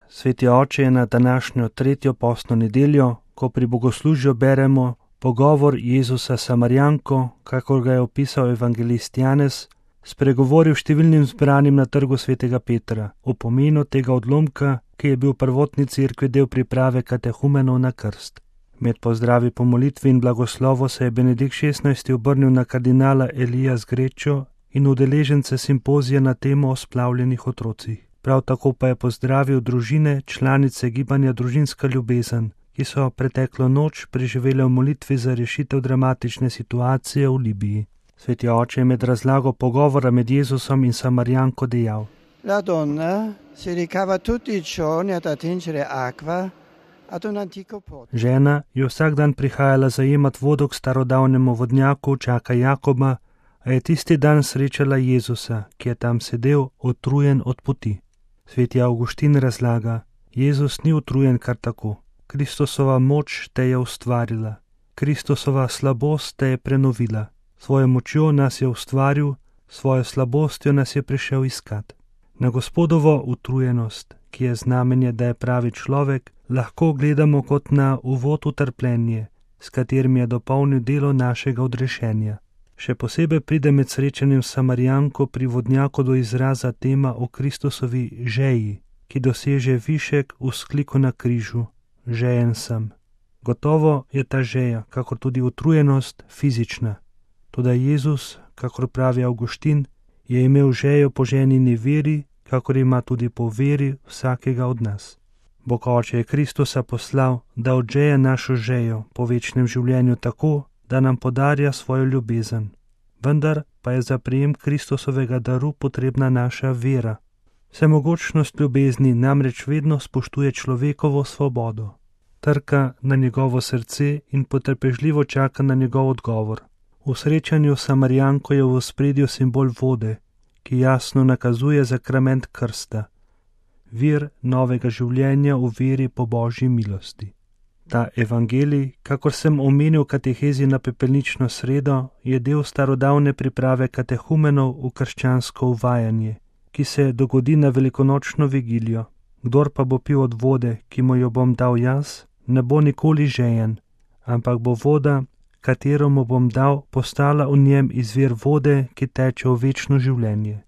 Sveti oče, je na današnjo 3. postno nedeljo, ko pri bogoslužju beremo pogovor Jezusa s Samarijanko, kakor ga je opisal evangelist Janez, spregovoril številnim zbranim na trgu svetega Petra o pomenu tega odlomka, ki je bil v prvotni cerkvi del priprave katehumenov na krst. Med pozdravi po molitvi in blagoslovu se je Benedikt XVI obrnil na kardinala Elija Zgrečo in udeležence simpozija na temo o splavljenih otrocih. Prav tako pa je pozdravil družine, članice gibanja Družinska ljubezen, ki so preteklo noč preživele v molitvi za rešitev dramatične situacije v Libiji. Sveti oče je med razlago pogovora med Jezusom in Samarijanko dejal: La donna si ricava tutti i giorni ad attingere acqua ad un antico pozzo. Žena je vsak dan prihajala zajemat vodo k starodavnemu vodnjaku Čaka Jakoba, a je tisti dan srečala Jezusa, ki je tam sedel, utrujen od poti. Sveti Avguštin razlaga: Jezus ni utrujen kar tako. Kristusova moč te je ustvarila. Kristusova slabost te je prenovila. Svojo močjo nas je ustvaril, svojo slabostjo nas je prišel iskat. Na Gospodovo utrujenost, ki je znamenje, da je pravi človek, lahko gledamo kot na uvod v trpljenje, s katerim je dopolnil delo našega odrešenja. Še posebej pride med srečanjem s Samarijanko pri vodnjaku do izraza tema o Kristusovi žeji, ki doseže višek v vzkliku na križu: žejen sem. Gotovo je ta žeja, kakor tudi utrujenost, fizična. Toda Jezus, kakor pravi Avguštin, je imel žejo po ženini veri, kakor ima tudi po veri vsakega od nas. Bog Oče je Kristusa poslal, da odžeje našo žejo po večnem življenju tako, da nam podarja svojo ljubezen. Vendar pa je za prijem Kristusovega daru potrebna naša vera. Vsemogočnost ljubezni namreč vedno spoštuje človekovo svobodo. Trka na njegovo srce in potrpežljivo čaka na njegov odgovor. V srečanju s Samarijanko je v ospredju simbol vode, ki jasno nakazuje sakrament krsta, vir novega življenja v veri po Božji milosti. Ta evangelij, kakor sem omenil v katehezi na pepelnično sredo, je del starodavne priprave katehumenov v krščansko uvajanje, ki se dogodi na velikonočno vigilijo. Kdor pa bo pil od vode, ki mu jo bom dal jaz, ne bo nikoli žejen, ampak bo voda, katero mu bom dal, postala v njem izvir vode, ki teče v večno življenje.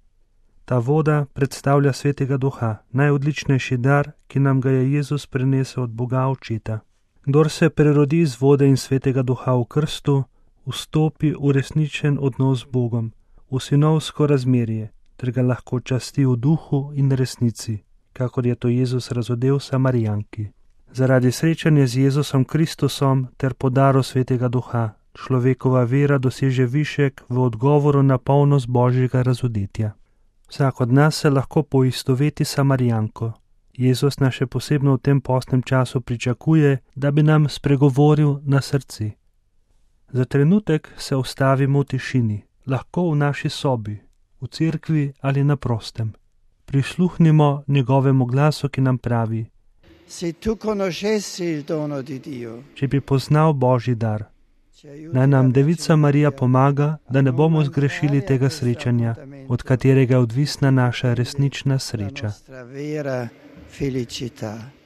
Ta voda predstavlja Svetega Duha, najodličnejši dar, ki nam ga je Jezus prinesel od Boga Očeta. Kdor se prerodi iz vode in Svetega Duha v krstu, vstopi v resničen odnos z Bogom, v sinovsko razmerje, ter ga lahko časti v duhu in resnici, kakor je to Jezus razodel Samarijanki. Zaradi srečanja z Jezusom Kristusom ter podaru Svetega Duha, človekova vera doseže višek v odgovoru na polnost Božjega razodetja. Vsak od nas se lahko poistoveti s Samarijanko. Jezus nas še posebno v tem postnem času pričakuje, da bi nam spregovoril na srce. Za trenutek se ustavimo v tišini, lahko v naši sobi, v cerkvi ali na prostem. Prisluhnimo njegovemu glasu, ki nam pravi: Se tu conoscessi il dono di Dio. Če bi poznal Božji dar, naj nam Devica Marija pomaga, da ne bomo zgrešili tega srečanja, od katerega je odvisna naša resnična sreča. Felicità.